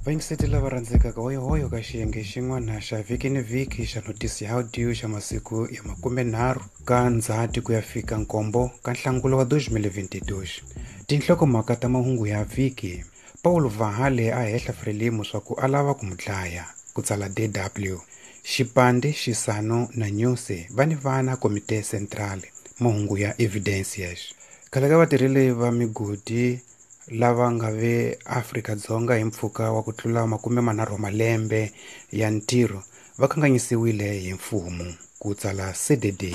Vayingiseti lava rhandzekaka hoyohoyo ka xiyenge xin'wana xa vhiki ni vhiki xa notisi ya audio xa masiku ya 30 ka Ndzhati ku ya fika 7 ka Nhlangula wa 2022. Tinhlokomhaka ta mahungu ya vhiki. Paulo Vahale a hehla Frelimo swa ku a lava ku mu dlaya, ku tsala DW. Xipande, Xisano na Nyusi va ni vana Komite Central, mahungu ya Evidencias. Khale ka vatirheli va migodi lava nga ve Afrika-Dzonga hi mpfhuka wa ku tlula 30 wa malembe ya ntirho va kanganyisiwile hi mfumo, ku tsala CDD.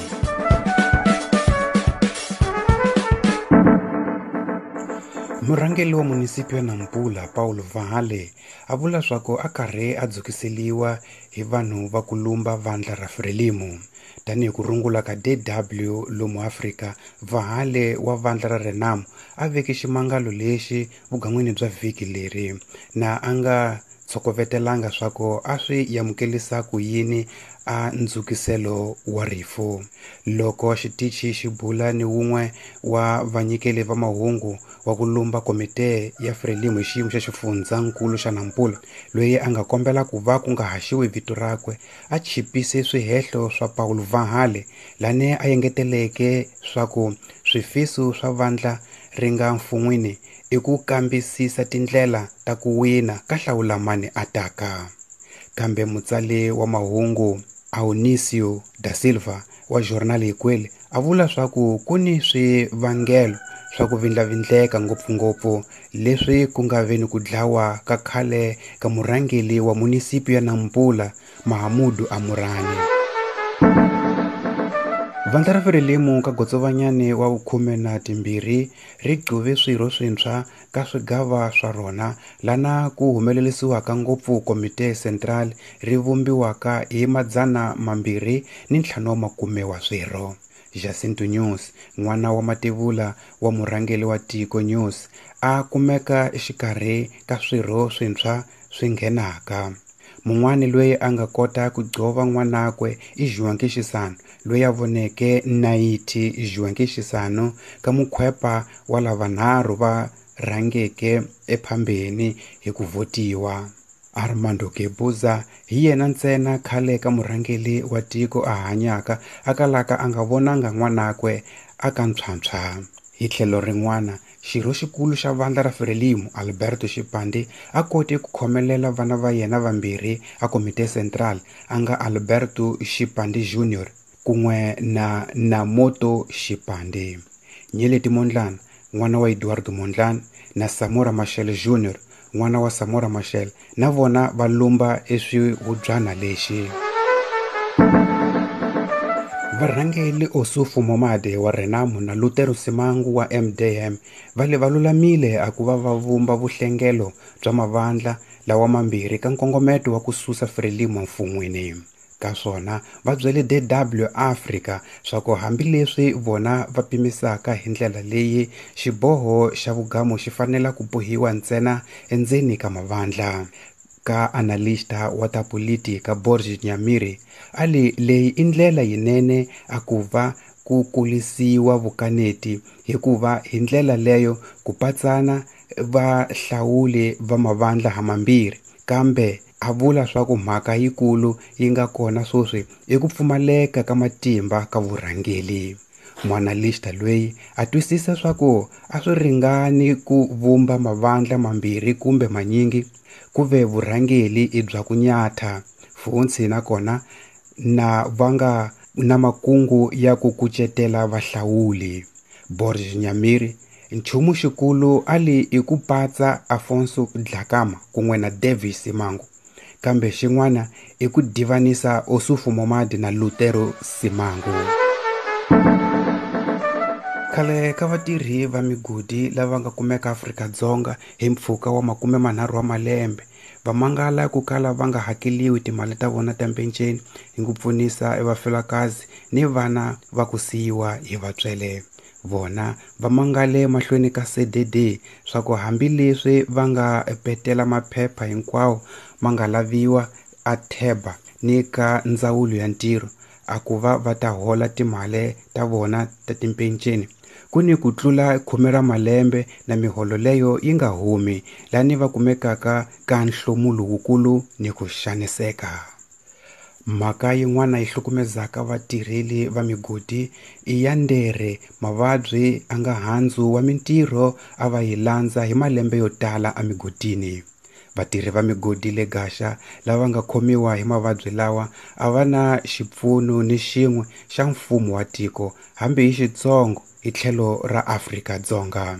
Murhangeri wa munisipi ya Nampula Paulo Vahale a vula swa ku a karhi a dzukiseliwa hi vanhu va ku lumba vandla ra Frelimo. Tanihi ku rungula ka DW lomu Afrika, Vahale wa vandla ra Renamo a veke ximangalo lexi vugan'wini bya vhiki leri na a nga tshokovetelanga swa ku a swi amukelisa ku yini a ndzukiselo wa rifu. Loko xitichi xi bula ni wun'we wa vanyikeli va mahungu wa ku lumba komite ya Frelimo hi xiyimo xa xifundzankulu xa Nampula, loyi a nga kombela ku va ku nga haxiwi vito rakwe, a chipise swihehlo swa Paulo Vahale lane a engeteleke swa ku swifiso swa vandla ri nga mfun'wini i ku kambisisa tindlela ta ku wina ka hlawulamani a taka. Kambe mutsali wa mahungu Aonisio da Silva wa Jornal Ikweli a vula swa ku ku ni swivangelo swa ku vindlavindleka ngopfungopfu leswi ku nga ve ni ku dlawa ka khale ka murhangeri wa munisipi ya Nampula Mahamudu Amurani. Vandla ra Frelimo ka Gotsovanyane wa 12 ri gquve swirho swintshwa ka swigava swa rona lana ku humelerisiwaka ngopfu Komite Central ri vumbiwaka hi 250 wa swirho. Jacinto News, n'wana wa mativula wa murhangeri wa tiko News, a kumeka exikarhi ka swirho swintshwa swi nghenaka. Mun'wani loyi a nga kota ku gqova n'wanakwe i Joaquim Chissano, loyi a voneke nayiti Joaquim Chissano ka mukhwepa wa lavanharhu va rhangeke ephambeni hi ku vhotiwa. Armando Guebuza hi yena ntsena khale ka murhangeri wa tiko a hanyaka a kalaka a nga vonanga n'wanakwe a ka ntshwantshwa. Hi tlhelo rin'wana, xirho xikulu xa vandla ra Frelimo Alberto Xipande a kote ku khomelela vana va yena vambirhi a Komite Central a nga Alberto Xipande Junior kun'we na Namoto Xipande. Nyeleti Mondlane, n'wana wa Eduardo Mondlane, na Samora Machel Junior, n'wana wa Samora Machel, na vona va lumba eswihubyana lexi. Varhangeri Ossufo Momade wa Renamo na Lutero Simangu wa MDM va le va lulamile a ku va va vumba vuhlengelo bya mavandla lawa mambirhi ka nkongometo wa ku susa Frelimo mfun'wini. Ka swona va byele DW Africa swa ku hambileswi vona va pimisaka hi ndlela leyi xiboho xa vugamu xi fanela ku bohiwa ntsena endzeni ka mavandla. Ka analista wa ta politika Borges Nyamiri a li leyi i ndlela yinene a ku va ku kulisiwa vukaneti hikuva hi ndlela leyo ku patsana vahlawuli va mavandla hamambirhi, kambe a vula swa ku mhaka yikulu yi nga kona sweswi i ku pfumaleka ka matimba ka vurhangeri. Muanalista loyi a twisisa swa ku a swi ringani ku vumba mavandla mambirhi kumbe manyingi ku ve vurhangeri i bya ku nyatha funtshi nakona na va nga na makungu ya ku kucetela vahlawuli. Borges Nyamiri nchumu xikulu a li i ku patsa Afonso Dhlakama kun'we na Davis Simango, kambe xin'wana i ku divanisa Ossufo Momade na Lutero Simango. Khale ka vatirhi va migodi lava nga kumeka Afrika-Dzonga hi mpfhuka wa 30 wa malembe va mangala ku kala va nga hakeliwi timali ta vona ta mpenceni hi ku pfunisa evafelakazi ni vana va ku siyiwa hi vatswele. Vona va mangale mahlweni ka CDD swa ku hambileswi va nga petela maphepha hinkwawo ma nga laviwa a theba ni ka ndzawulo ya ntirho a ku va va ta hola timali ta vona ta timpenceni Ku ni ku tlula 10 ra malembe na miholo leyo yi nga humi, lani va kumekaka ka nhlomulo wukulu ni ku xaniseka. Mhaka yin'wana yi hlukumezaka vatirheli va migodi i ya ndere mavabyi a nga handzu wa mintirho a va yi landza hi malembe yo tala emigodini. Vatirhi va migodi le Gaxa lava nga khomiwa hi mavabyi lawa a va na xipfuno ni xin'we xa mfumo wa tiko hambi hi xitsongo hi tlhelo ra Afrika-Dzonga.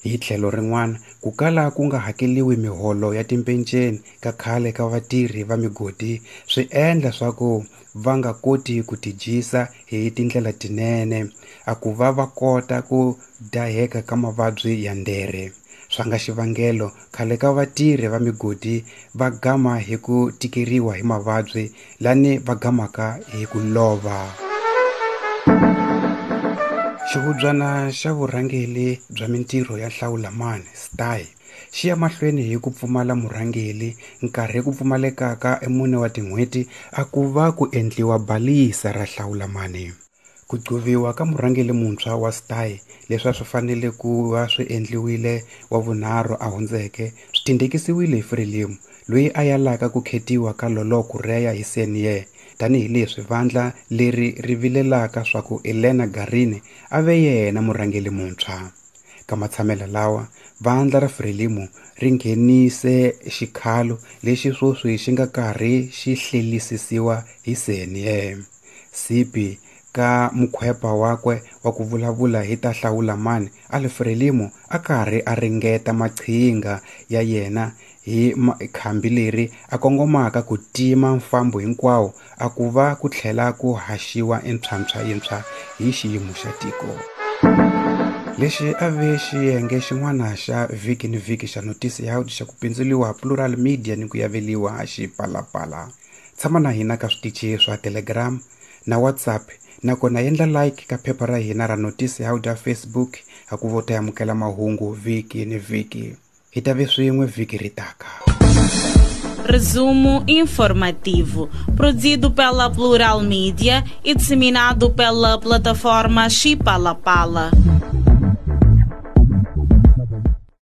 Hi tlhelo rin'wana, ku kala ku nga hakeliwi miholo ya timpenceni ka khale ka vatirhi va migodi swi endla swa ku va nga koti ku tidyisa hi tindlela tinene, a ku va va kota ku daheka ka mavabyi ya ndere. Swa nga xivangelo khale ka vatirhi va migodi va gama hi ku tikeriwa hi mavabyi lani va gamaka hi ku lova. Xihubyana xa vurhangeri bya mintirho ya Hlawulamani STAI xi ya mahlweni hi ku pfumala murhangeri nkarhi ku pfumalekaka e4 wa tin'hweti a ku va ku endliwa balisa ra Hlawulamani. Ku gcoviwa ka murhangeri muntshwa wa STAI leswi a swi fanele ku va swi endliwile wa vunharhu a hundzeke swi tindekisiwile hi Frelimo loyi a yalaka ku khetiwa ka Lolo Kureya hi CNA tanihileswi vandla leri ri vilelaka swa ku Elena Garini a ve yena murhangeri muntshwa. Ka matshamelo lawa vandla ra Frelimo ri nghenise xikhalo lexi sweswi xi nga karhi xi hlelisisiwa hi CNA. Sipi ka mukhwepa wakwe wa ku vulavula hi ta Hlawulamani a Frelimo a karhi a ringeta maqhinga ya yena hi khambi leri a kongomaka ku tima mfambo hinkwawo a ku va ku tlhela ku haxiwa entshwantshwa yintshwa hi xiyimo xa tiko. Lexi a ve xiyenge xin'wana xa vhiki ni vhiki xa notisi ya xa ku pindzuriwa Plural Media ni ku yaveliwa Xipalapala. Tshama na hina ka switichi swa Telegram na WhatsApp nakona endla like ka phepha ra hina ra notisi ya Facebook a ku vo ta amukela mahungu vhiki ni vhiki. Hi ta ve swin'we vhiki ri taka. Resumo informativo, produzido pela Plural Media e disseminado pela plataforma Xipalapala.